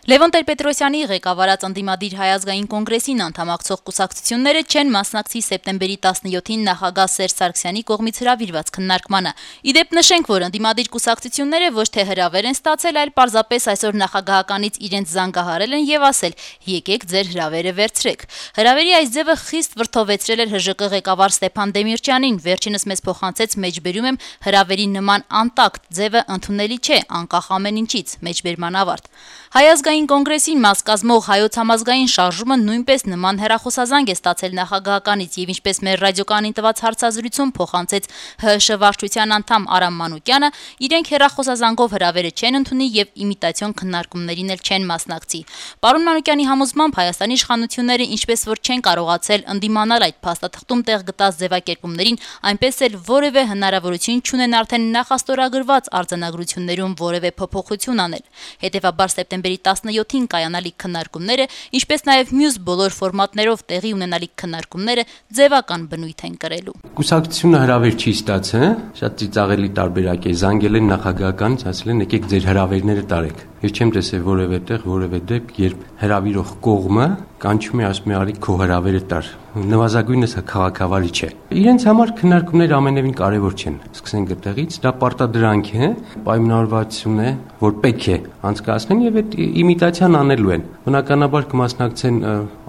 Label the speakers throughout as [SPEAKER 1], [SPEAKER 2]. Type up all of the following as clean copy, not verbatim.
[SPEAKER 1] Լևոն Տեր-Պետրոսյանի ղեկավարած ընդդիմադիր Հայ ազգային կոնգրեսին անդամակցող կուսակցությունները չեն մասնակցի սեպտեմբերի 17-ին նախագահ Սերժ Սարգսյանի կողմից հրավիրված քննարկմանը։ Իդեպ նշենք, որ ընդդիմադիր կուսակցությունները ոչ թե հրավեր են ստացել, այլ պարզապես այսօր նախագահականից իրենց զանգահարել են եւ ասել՝ եկեք ձեր հրավերը վերցրեք։ Հրավերի այս ձևը խիստ վրդովեցրել էր ՀԺԿ ղեկավար Ստեփան Դեմիրճյանին, վերջինս մեզ փոխանցեց մեջբերում եմ հրավերի նման անտակտ ձևը ընդունելի չէ, անկախ ամեն ինչից, մեջբերման ավարտ։ Հայ ազգային կոնգրեսին մաս կազմող Հայոց համազգային շարժումը նույնպես նման հեռախոսազանգ է ստացել նախագահականից եւ ինչպես մեր ռադիոկանին տված հարցազրույցում փոխանցեց ՀՀՇ վարչության անդամ Արամ Մանուկյանը, իրենք հեռախոսազանգով հրավերը չեն ընդունի եւ իմիտացիոն քննարկումներին էլ չեն մասնակցի։ Պարոն Մանուկյանի համոզմամբ Հայաստանի իշխանությունները ինչպես որ չեն կարողացել ընդդիմանալ այդ փաստաթղթում տեղ գտած ձևակերպումներին, այնպես էլ որևէ հնարավորություն չունեն արդեն նախաստորագրված արձանագրություններում որևէ փոփոխություն անել։ Հետևաբար սեպտեմբերի 17-ին կայանալիք քննարկումները, ինչպես նաև մյուս բոլոր ֆորմատներով տեղի ունենալիք քննարկումները ձևական բնույթ են կրելու։
[SPEAKER 2] Կուսակցությունը հրավեր չի ստացել, շատ ծիծաղելի տարբերակ է, զանգել են նախագահականից, ասել են եկեք ձեր հրավերները տարեք։ Ես չեմ տեսել որևէ տեղ, որևէ դեպք, երբ հրավիրող կողմը կանչում է, ասում է արի քո հրավերը տար։ Նվազագույնս քաղաքավարի չէ։ Իրենց համար քննարկումները ամենևին կարևոր չեն։ Սկսենք այդտեղից, դա պարտադրանք է, պայմանավորվածություն է, որ պետք է անցկացնեն եւ այդ իմիտացիան անելու են։ Բնականաբար կմասնակցեն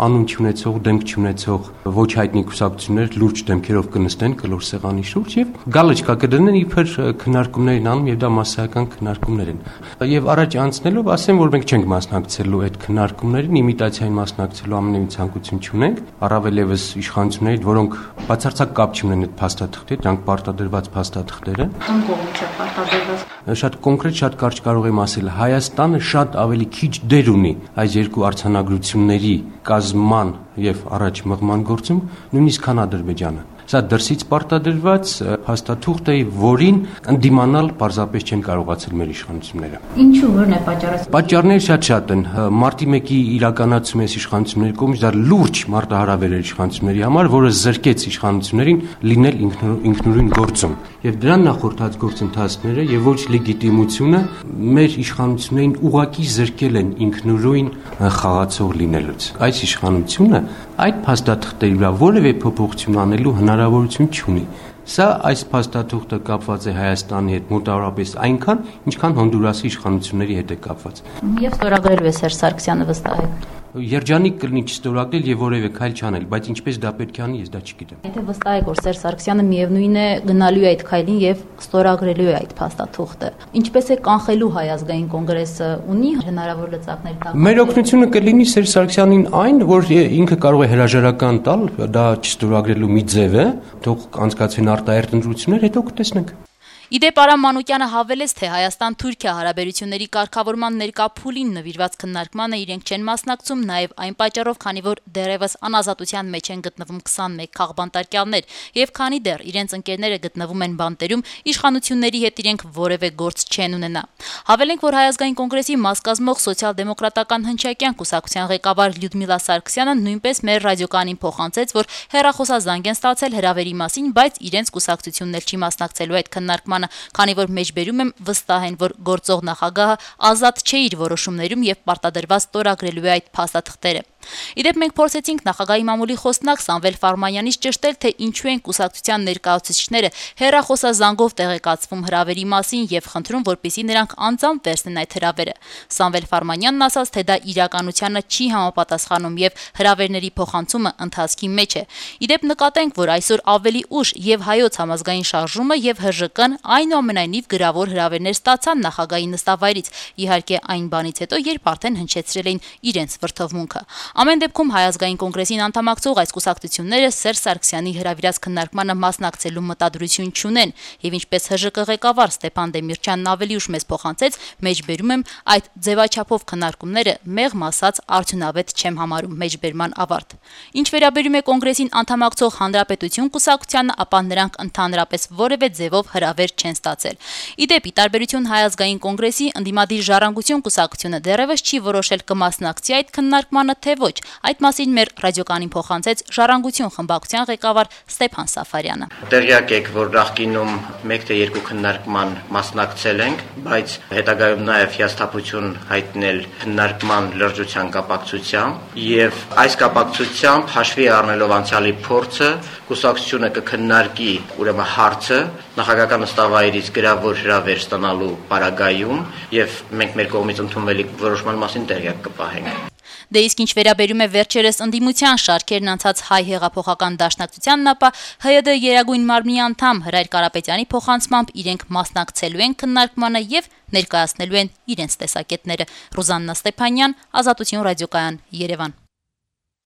[SPEAKER 2] անուն չունեցող, դեմք չունեցող ոչ հայտնի կուսակցություններ լուրջ դեմքերով կնստեն կլոր սեղանի շուրջ եւ գալոչկա կդնեն իբր քննարկումներին անում եւ դա մասսայական քննարկումներ են։ Եվ առաջ անցնելով ասեմ, որ մենք չենք մասնակցելու այդ քննարկումներին, իմիտացիային մասնակցելու ամենևին ցանկություն չունենք, առավել եւս իշխանությունների, որոնք բացարձակ կապ չունեն այդ փաստաթղթի, դրանք պարտադրված փաստաթղթեր են։
[SPEAKER 1] Ում կողմից է պարտադրված։
[SPEAKER 2] Շատ կոնկրետ, շատ կարճ կարող եմ ասել, Հայաստանը շատ ավելի քիչ դեր ունի այս երկու արձանագրությունների կազման եւ առաջ մղման գործում, նույնիսկ քան Ադրբեջանը։ Սա դրսից պարտադրված փաստաթուղթ է, որին ընդդիմանալ պարզապես չեն կարողացել մեր իշխանությունները։
[SPEAKER 1] Ինչու որն է պատճառը։
[SPEAKER 2] Պատճառները շատ են։ Մարտի 1-ի իրականացում է իշխանությունների կողմից, դա լուրջ մարտահրավեր էր իշխանությունների համար, որը զրկեց իշխանություններին լինել ինքնուրույն գործում։ Եվ դրան նախորդած գործընթացները եւ ոչ լեգիտիմությունը մեր իշխանություններին ուղղակի զրկել են ինքնուրույն խաղացող լինելուց։ Այս իշխանությունը այդ փաստաթղթերի վրա որևէ փոփոխություն անելու հնարավորություն չունի։ Սա այս փաստաթուղթը կապված է Հայաստանի հետ մոտավորապես այնքան, ինչքան Հոնդուրասի իշխանությունների հետ է կապված։
[SPEAKER 1] Եվ ստորագրելու է Սերժ Սարգսյանը վստահ է։
[SPEAKER 2] Երջանիկ կլինի չստորագրել եւ որևէ քայլ չանել, բայց ինչպես դա պետք է անի, ես դա չգիտեմ։
[SPEAKER 1] Եթե վստահ եք, որ Սերժ Սարգսյանը միևնույն է գնալու է այդ քայլին եւ ստորագրելու է այդ փաստաթուղթը, ինչպես է կանխելու Հայ ազգային կոնգրեսը, ունի հնարավոր լծակներ տալ։
[SPEAKER 2] Մեր օգնությունը կլինի Սերժ Սարգսյանին այն, որ ինքը կարող է հրաժարական տալ, դա չստորագրելու մի ձև է, թող անցկացվեն արտահերտ ընտրություններ, հետո կտեսնենք։
[SPEAKER 1] Իդեպ Արամ Մանուկյանը հավելեց, թե Հայաստան-Թուրքիա հարաբերությունների կարգավորման ներկա փուլին նվիրված քննարկմանը իրենք չեն մասնակցում, նաև այն պատճառով, քանի որ դեռևս անազատության մեջ են գտնվում 21 քաղբանտարկյալներ, եւ քանի դեռ իրենց ընկերները գտնվում են բանտերում, իշխանությունների հետ իրենք որևէ գործ չեն ունենա։ Հավելենք, որ Հայ ազգային կոնգրեսի մաս կազմող սոցիալ-դեմոկրատական հնչակյան կուսակցության ղեկավար Լյուդմիլա Սարգսյանը նույնպես մեր ռադիոկանին փոխանցեց, որ հեռախոսազանգ են ստացել հրավերի մասին, բայց իրենց կուսակցությունն էլ չի մասնակցելու այդ քննարկմանը, քանի որ մեջբերում եմ վստահ են, որ գործող նախագահը ազատ չէ իր որոշումներում եւ պարտադրված ստորագրելու է այդ փաստաթղթերը։ Իդեպ մենք փորձեցինք նախագահի մամուլի խոսնակ Սամվել Ֆարմանյանից ճշտել, թե ինչու են կուսակցության ներկայացուցիչները հեռախոսազանգով տեղեկացվում հրավերի մասին եւ խնդրում, որպեսզի նրանք անձամբ վերցնեն այդ հրավերը։ Սամվել Ֆարմանյանն ասաց, թե դա իրականությանը չի համապատասխանում եւ հրավերների փոխանցումը ընթացքի մեջ է։ Իդեպ նկատենք, որ այսօր ավելի ուշ եւ Հայոց համազգային շարժումը եւ ՀԺԿ-ն այնուամենայնիվ գրավոր հրավերներ ստացան նախագահի նստավայրից, իհարկե այն բանից հետո, երբ արդեն հնչեցրել էին իրենց վրթովմունքը։ Ամեն դեպքում Հայ ազգային կոնգրեսին անդամակցող այս կուսակցությունները Սերժ Սարգսյանի հրավիրած քննարկմանը մասնակցելու մտադրություն չունեն եւ ինչպես ՀԺԿ ղեկավար Ստեփան Դեմիրճյանն ավելի ուշ մեզ փոխանցեց, մեջբերում եմ այդ ձևաչափով քննարկումները մեղմ ասած արդյունավետ չեմ համարում մեջբերման ավարտ։ Ինչ վերաբերում է կոնգրեսին անդամակցող Հանրապետություն կուսակցությանը, ապա նրանք ընդհանրապես որևէ ձևով հրավեր չեն ստացել։ Ի դեպ, ի տարբերություն Հայ ազգային կոնգրեսի, ընդդիմադիր Ժառանգություն կուսակցությունը դեռևս չի որոշել կմասնակցի այդ քննարկմանը, թե ոչ։ Այդ մասին մեր ռադիոկանին փոխանցեց Ժառանգություն խմբակցության ղեկավար Ստեփան Սաֆարյանը։
[SPEAKER 3] Տեղյակ եք, որ նախկինում 1 թե 2 քննարկման մասնակցել ենք, բայց հետագայում նաև հիասթափություն հայտնել քննարկման լրջության կապակցությամբ եւ այս կապակցությամբ հաշվի առնելով անցյալի փորձը կուսակցությունը կքննարկի ուրեմն հարցը նախագահական նստավայրից գրավոր հրավեր ստանալու պարագայում եւ մենք մեր կողմից ընդունվելիք որոշման մասին տեղյակ կպահենք։
[SPEAKER 1] Դե իսկ ինչ վերաբերում է վերջերս ընդդիմության շարքերն անցած Հայ հեղափոխական դաշնակցությանն, ապա ՀՅԴ Երագույն մարմնի անդամ Հրայր Կարապետյանի փոխանցմամբ իրենք մասնակցելու են քննարկմանը եւ ներկայացնելու են իրենց տեսակետները։ Ռուզաննա Ստեփանյան, Ազատություն ռադիոկայան, Երևան։